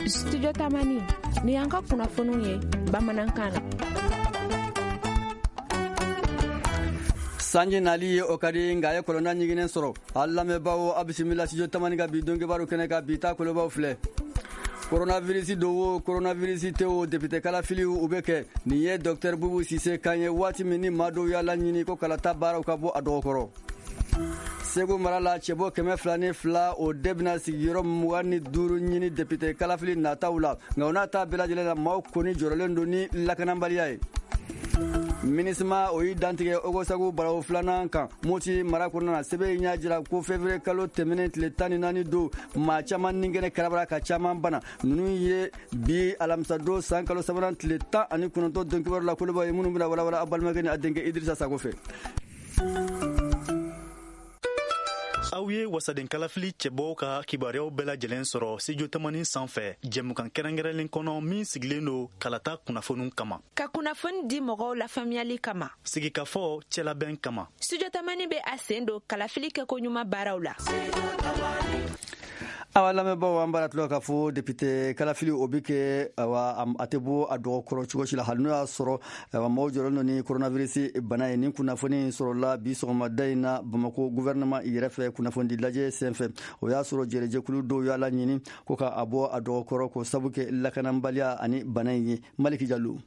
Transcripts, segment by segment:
Studio Tamani, ni y'an ka kunnafoniw ye bamanankan na. Sanji nali ye o ka di, nka a ye kɔlɔnda ɲiginnen sɔrɔ. A lamɛnbaaw, a bisimila Studio Tamani ka bi donkibaru kɛnɛ kan. Bi ta kolobaw filɛ: coronavirus don o, coronavirus tɛ o, député kalafiliw u bɛ kɛ. Nin ye Docteur Boubou Cissé kan ye waati min ni maa dɔw y'a laɲini ko kalata baaraw ka bɔ a dɔgɔkɔrɔ. Segu mara la, cɛbɔ 202, o de bɛna sigiyɔrɔ 25 ɲini député kalafili nataw la. Nka o n'a ta bɛɛ lajɛlen na, maaw kɔni jɔrɔlen don ni lakanabaliya ye. MINUSMA o y'i dantigɛ Ogosagu balawu filanan kan Moti mara kɔnɔna na. Sɛbɛn in y'a jira ko février kalo tɛmɛnen tile 14 don, maa caman ni kɛnɛ karabara ka caman bana. Ninnu ye bi alamisadon san kalo sabanan tile 19 don kibaru la kolobaw ye, minnu bɛna walawala aw balimakɛ ni a denkɛ Idrissa Sako fɛ. Aw ye wasaden kalafili cɛbɔw ka kibaruyaw bɛɛ lajɛlen sɔrɔ Studio Tamani sanfɛ, jɛmukan kɛrɛnkɛrɛnlen kɔnɔ min sigilen don kalata kunnafoniw kama, ka kunnafoni di mɔgɔw lafaamuyali kama, sigikafɔ cɛlabɛn kama. Studio Tamani bɛ a sen don kalafili kɛko ɲuman baaraw la. Awa lamɛnbaaw, an b'a tulo k'a fɔ député kalafili o bɛ kɛ, awa a tɛ bɔ a dɔgɔkɔrɔ cogo si la, hali n'o y'a sɔrɔ awa maaw jɔrɔlen don ni coronavirus bana ye. Nin kunnafoni sɔrɔla bi sɔgɔmada in na Bamako gouvernement yɛrɛ fɛ kunnafonidi lajɛ senfɛ. O y'a sɔrɔ jɛrɛjɛkulu dɔw y'a laɲini ko ka a bɔ a dɔgɔkɔrɔ, ko sabu kɛ lakanabaliya ani bana in ye. Maliki Jalo.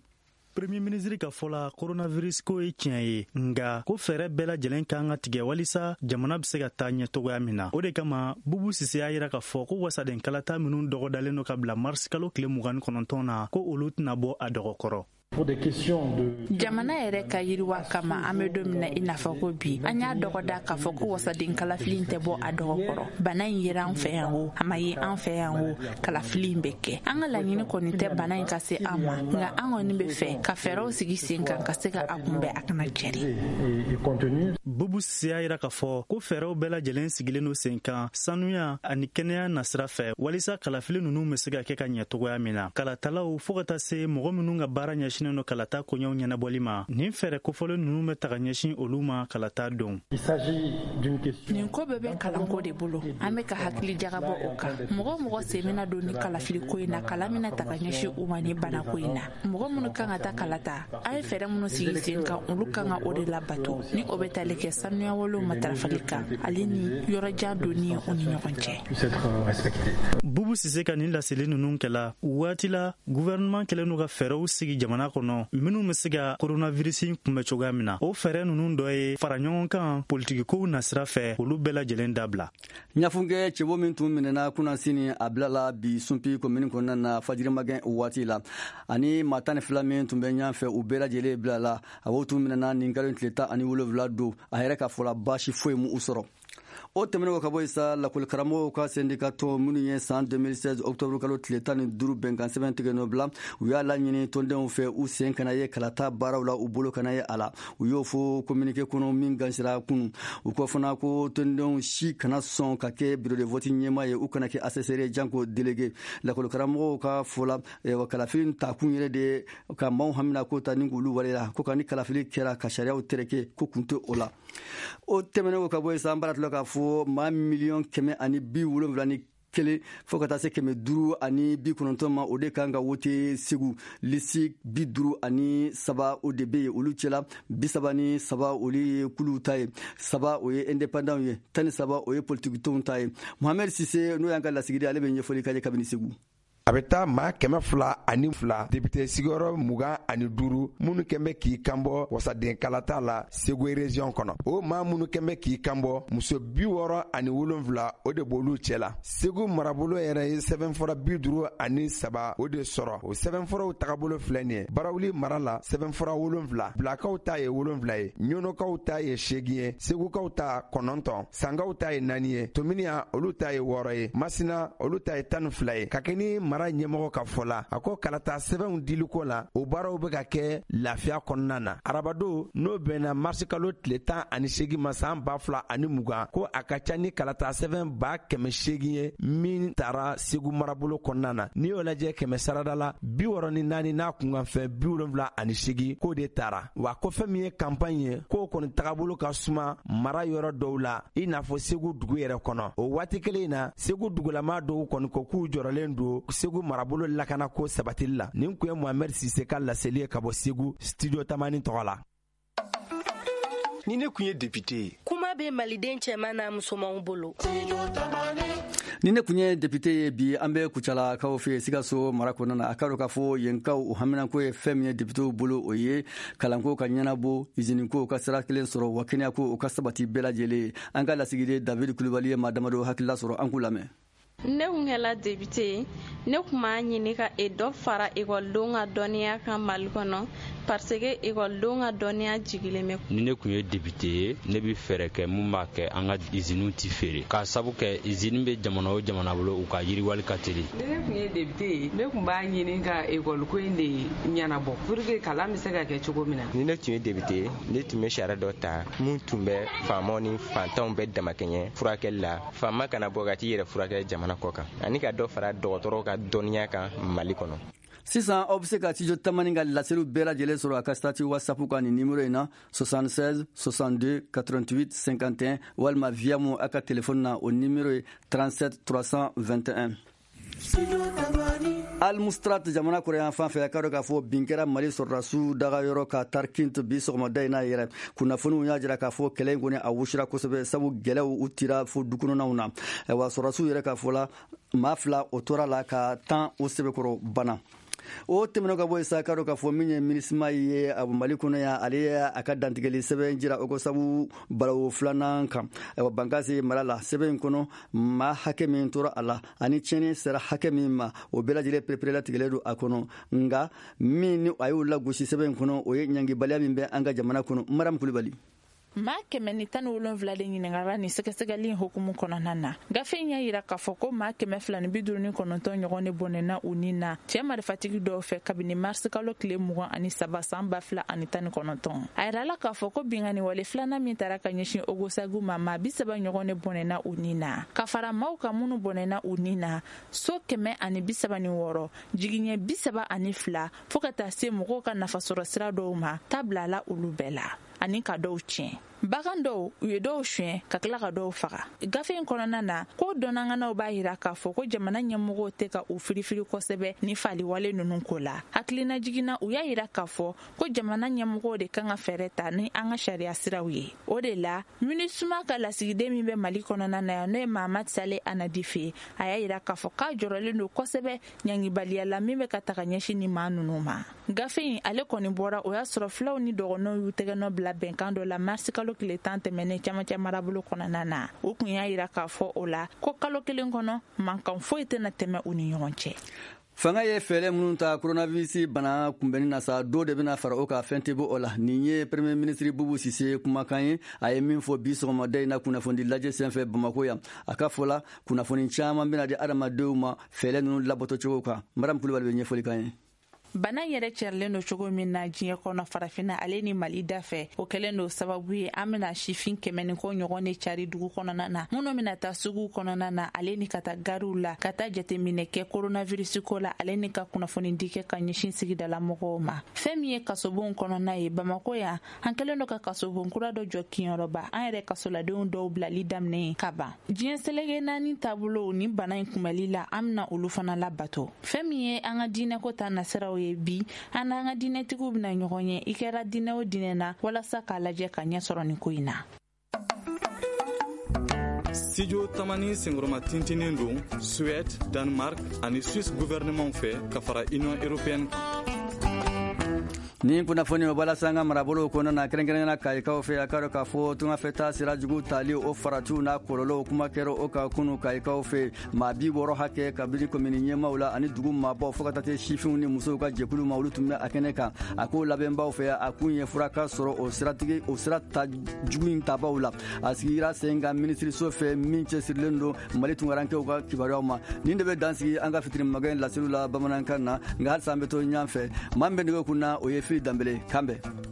Premier ministre ka fɔ la, coronavirus ko ye tiɲɛ ye, nga ko fɛɛrɛ bɛɛ lajɛlen kan ka tigɛ walisa jamana bɛ se ka taa ɲɛ cogoya min na. O de kama, Boubou Cissé y'a yira k'a fɔ ko wasaden kalata minnu dɔgɔdalen don ka bila mars kalo tile 29 na, ko olu tɛna bɔ a dɔgɔkɔrɔ. Jamana yɛrɛ ka yiriwa kama, an bɛ don min na i n'a fɔ ko bi, an y'a dɔgɔda k'a fɔ ko wasaden kalafili tɛ bɔ a dɔgɔkɔrɔ. Bana in yera an fɛ yan o, a ma ye an fɛ yan o, kalafili in bɛ kɛ. An ka laɲini kɔni tɛ bana in ka se an ma, nka an kɔni bɛ fɛ ka fɛɛrɛw sigi sen kan ka se ka a kunbɛn, a kana cɛri. Boubou Cissé y'a yira k'a fɔ ko fɛɛrɛw bɛɛ lajɛlen sigilen don sen kan sanuya ani kɛnɛya nasira fɛ, walisa kalafili ninnu bɛ se ka kɛ ka ɲɛ cogoya min na. Kalatalaw fɔɔ ka taa se mɔgɔ minnu ka baara ɲɛsinnen don kalata koɲɛw ɲɛnabɔli ma, nin fɛɛrɛ kofɔlen ninnu bɛ taga ɲɛsin olu ma kalata don. Nin ko bɛɛ bɛ kalanko de bolo. An bɛ ka hakili jagabɔ o kan. Mɔgɔ mɔgɔ sen bɛna don ni kalafili ko in na, kalan bɛna taga ɲɛsin u ma ni banako in na. Mɔgɔ minnu kan ka taa kalata, an ye fɛɛrɛ minnu sigi sen kan, olu kan ka o de labato, ni o bɛ tali kɛ sanuyawalew matarafali kan, ale ni yɔrɔjan donni u ni ɲɔgɔn cɛ. Boubou Cissé ka nin laseli ninnu kɛla waati la gouvernement kɛlen don ka fɛɛrɛw sigi jamana kɔnɔ minnu bɛ se ka coronavirus kunbɛ cogoya min na. O fɛɛrɛ ninnu dɔ ye fara ɲɔgɔn kan politikikow nasira fɛ, olu bɛɛ lajɛlen dabila. Ɲafunkɛ cɛbo min tun minɛna kunnasini, a bilala bi Sunpi komini kɔnɔna na fajirimagɛn waati la, ani maa 12 min tun bɛ ɲɔgɔn fɛ, u bɛɛ lajɛlen bilala. A o tun minɛna nin kalo tile 17 don. A yɛrɛ ka fɔla, baasi foyi mu u sɔrɔ. O tɛmɛnen kɔ ka bɔ yen sa, lakɔlikaramɔgɔw ka syndicat tɔn minnu ye san 2016 octobre kalo tile 15 bɛnkan sɛbɛn tigɛ nɔ bila, u y'a laɲini tɔndenw fɛ, u sen kana ye kalata baaraw la, u bolo kana ye a la. U y'o fɔ communiqué kɔnɔ min gansira kunu. U ko fana ko tɔndenw si kana sɔn ka kɛ bureau de vote ɲɛmaa ye, u kana kɛ assesseur ye, janko délégué. Lakɔlikaramɔgɔw ka fɔ la, kalafili takun yɛrɛ de ka maaw hamina ko ta ni k'olu waleya ko ka ni kalafili kɛra ka sariyaw tereke, ko kun tɛ o la. O tɛmɛnen kɔ ka bɔ yen sa, an b'a tila k'a fɔ maa 171 miliyɔn fo ka taa se 590 ma, o de kan ka wote Segu. Liste 53, o de bɛ yen. Olu cɛla, 33, olu ye kuluw ta ye, saba, o ye indépendant ye, 13, o ye politikitɔnw ta ye. Mohamed Sise, n'o y'an ka lasigiden, ale bɛ ɲɛfɔli kɛ kabini Segu. A bɛ taa maa 202, député sigiyɔrɔ 25 minnu kɛn bɛ k'i kanbɔ wasaden kalata la Segu région kɔnɔ. O maa minnu kɛn bɛ k'i kanbɔ, muso 67, o de b'olu cɛ la. Segu marabolo yɛrɛ ye sɛbɛnfura 53 o de sɔrɔ. O sɛbɛnfuraw tagabolo filɛ nin ye: Barawuli mara la, sɛbɛnfura wolonfila, Bilakaw ta ye wolonfila ye, Ɲɔnɔkaw ta ye seegin ye, Segukaw ta kɔnɔntɔn, Sankaw ta ye naani ye, Tominiya olu ta ye wɔɔrɔ ye, Masina olu ta ye 12 ye, ka kɛ ni mara mara ɲɛmɔgɔ ka fɔ la, a ko kalata sɛbɛnw diliko la, o baaraw bɛ ka kɛ lafiya kɔnɔna na. Arabado, n'o bɛnna marisikalo tile 18 ma san 2020, ko a ka ca ni kalata sɛbɛn 800 ye min tara Segu marabolo kɔnɔna na. N'i y'o lajɛ kɛmɛ sarada la, 64 n'a kunkanfɛn 78, k'o de tara. Wa ko fɛn min ye campagne ye, k'o kɔni tagabolo ka suma mara yɔrɔ dɔw la, i n'a fɔ Segu dugu yɛrɛ kɔnɔ. O waati kelen in na, Segu dugulama dɔw kɔni ko k'u jɔrɔlen don Segu marabolo lakanako sabatili la. Nin kun ye Mohamed Sise ka laseli ye ka bɔ Segu, Studio Tamani tɔgɔ la. Ni ne kun ye député ye. Kuma bɛ maliden cɛman n'a musomanw bolo. Ni ne kun ye député ye, bi an bɛ Kucalakaw fɛ Sikaso mara kɔnɔna na. A ka dɔn k'a fɔ yenkaw u haminanko ye fɛn min ye députéw bolo, o ye kalanko ka ɲɛnabɔ, iziniko ka sira kelen sɔrɔ, wa kɛnɛyako o ka sabati bɛɛ lajɛlen ye. An ka lasigiden David Kulubali ye maa damadɔ hakilila sɔrɔ, an k'u lamɛn. Ne kun kɛla député ye, ne kun b'a ɲini ka e dɔ fara ekɔlidenw ka dɔnniya kan Mali kɔnɔ, parce que ekɔlidenw ka dɔnniya jigilen bɛ. Ni ne kun ye député ye, ne bɛ fɛɛrɛ kɛ mun b'a kɛ an ka iziniw ti feere, k'a sabu kɛ izini bɛ jamana o jamana bolo, u ka yiriwali ka teli. Ni ne kun ye député ye, ne kun b'a ɲini ka ekɔliko in de ɲɛnabɔ pour que kalan bɛ se ka kɛ cogo min na. Ni ne tun ye député ye, ne tun bɛ sariya dɔ ta mun tun bɛ faamaw ni fantanw bɛɛ damakɛɲɛ furakɛli la, faama kana bɔ ka t'i yɛrɛ furakɛ jamana kɔ kan, ani ka dɔ fara dɔgɔtɔrɔw ka dɔnniya kan Mali kɔnɔ. Sisan aw bɛ se ka Studio Tamani ka laseliw bɛɛ lajɛlen sɔrɔ a ka statut WhatsApp kan nin numéro in na: 76 62 88 51, walima Viamo a ka téléphone na, o numéro ye 37 321. Almustrat jamana kɔrɔyan fan fɛ, a ka dɔn k'a fɔ bin kɛra Mali sɔrɔdasiw dagayɔrɔ ka Tarkint bi sɔgɔmada in na yɛrɛ. Kunnafoniw y'a jira k'a fɔ kɛlɛ in kɔni a wusira kosɛbɛ, sabu gɛlɛw u tira fo du kɔnɔnaw na. Wa sɔrɔdasiw yɛrɛ ka fɔ la, maa 2 o tora la ka 10 o sɛbɛkɔrɔ bana. O tɛmɛnen ka bɔ yen sa, ka dɔn k'a fɔ min ye MINUSMA ye a Mali kɔnɔ yan, ale ye a ka dantigɛli sɛbɛn jira o ko sabu balawu filanan kan, ayiwa, Bankasi mara la. Sɛbɛn in kɔnɔ, maa hakɛ min tora a la ani tiɲɛni sera hakɛ min ma, o bɛɛ lajɛlen pereperelatigɛlen don a kɔnɔ. Nka min ni a y'o lagosi sɛbɛn in kɔnɔ, o ye ɲangibaliya min bɛ an ka jamana kɔnɔ. Mariam Kulibali. Maa 117 de ɲininkara nin sɛgɛsɛgɛli in hukumu kɔnɔna na. Gafe in y'a yira k'a fɔ ko maa 259 ɲɔgɔn de bɔnɛna u ni na cɛɛ marifatigi dɔw fɛ kabini marisi kalo tile 23 san 2019. A yirala k'a fɔ ko binkanni wale filanan min tara ka ɲɛsin Ogosagu ma, maa 30 ɲɔgɔn de bɔnɛna u ni na. Ka fara maaw kan minnu bɔnɛna u ni na, so 136, jigiɲɛ 32, fɔɔ ka taa se mɔgɔw ka nafasɔrɔ sira dɔw ma, ta bilala olu bɛɛ la ani ka dɔw tiɲɛ. Bagan dɔw, u ye dɔw suɲɛ ka tila ka dɔw faga. Gafe in kɔnɔna na, ko dɔnnanganaw b'a yira k'a fɔ ko jamana ɲɛmɔgɔw tɛ ka u firifiri kosɛbɛ ni faliwale ninnu ko la. Hakilina jiginna, u y'a yira k'a fɔ ko jamana ɲɛmɔgɔw de kan ka fɛɛrɛ ta ni an ka sariya siraw ye. O de la, MINUSMA ka lasigiden min bɛ Mali kɔnɔna na yan, n'o ye Mahamad Sale Anadife, a y'a yira k'a fɔ k'a jɔrɔlen don kosɛbɛ ɲangibaliya la min bɛ ka taga ɲɛsin ni maa ninnu ma. Gafe in ale kɔni bɔra, o y'a sɔrɔ filaw ni dɔgɔnɔw y'u tɛgɛnɔ bila bɛnkan dɔ la marisi kalo tile 10 tɛmɛnen camancɛ marabolo kɔnɔna na. O kun y'a yira k'a fɔ o la ko kalo kelen kɔnɔ, mankan foyi tɛna tɛmɛ u ni ɲɔgɔn cɛ. Fanga ye fɛɛrɛ minnu ta coronavirus bana kunbɛnni na sa, dɔ de bɛna fara o kan, fɛn tɛ bɔ o la. Nin ye Premier ministre Bubu Sise kumakan ye, a ye min fɔ bi sɔgɔmada in na kunnafoni lajɛ senfɛ Bamako yan. A ka fɔ la, kunnafoni caman bɛna di adamadenw ma fɛɛrɛ ninnu labato cogo kan. Mariam Kulibali bɛ ɲɛfɔli kan ye. Bana yɛrɛ cɛrilen don cogo min na diɲɛ kɔnɔ, Farafinna ale ni Mali da fɛ, o kɛlen don sababu ye an bɛna sifin 100 ni kɔ ɲɔgɔn de cari dugu kɔnɔna na, minnu bɛna taa suguw kɔnɔna na ale ni ka taa gariw la, ka taa jateminɛ kɛ coronavirus ko la, ale ni ka kunnafoni di kɛ ka ɲɛsin sigidala mɔgɔw ma. Fɛn min ye kasobonw kɔnɔna ye Bamako yan, an kɛlen don ka kasobon kura dɔ jɔ Kiɲɛrɔba. An yɛrɛ kasoladenw dɔw bilali daminɛ ka ban. Diɲɛ seleke naani taabolow ni bana in kunbɛli la, an bɛna olu fana labato. Fɛn min ye an ka diinɛko ta nasiraw ye, bi an n'an ka diinɛtigiw bɛna ɲɔgɔn ye, i kɛra diinɛ o diinɛ na, walasa k'a lajɛ ka ɲɛ sɔrɔ nin ko in na. Studio Tamani senkɔrɔma tintinen don Suède, Danemark ani Suisse gouvernement fɛ ka fara Union européenne kan. Ni kunnafoni o bala an ka marabolo kɔnɔna na, kɛrɛnkɛrɛnnenya Kayikaw fɛ, a k'a dɔn k'a fɔ tungafɛtaa sira jugu tali, o faratiw n'a kɔlɔlɔw, kuma kɛra o kan kunu Kayikaw fɛ. Maa 60 hakɛ, kabini komini ɲɛmaw la ani dugu maabaw fo ka taa se sifinw ni musow ka jɛkulu ma, olu tun bɛ a kɛnɛ kan. A ko labɛnbaw fɛ, a kun ye fura ka sɔrɔ o siratigi o sira ta jugu in tabaw la. A sigira sen kan minisiriso fɛ min cɛsirilen don Mali tunkarankew ka kibaruyaw ma. Nin de bɛ dan sigi an ka fitiri magɛn laseliw la bamanankan na. Nka halisa an bɛ to ɲɔgɔn fɛ. Maa min bɛ nɛgɛ kun na, o ye Fili Danbele. Kan bɛn.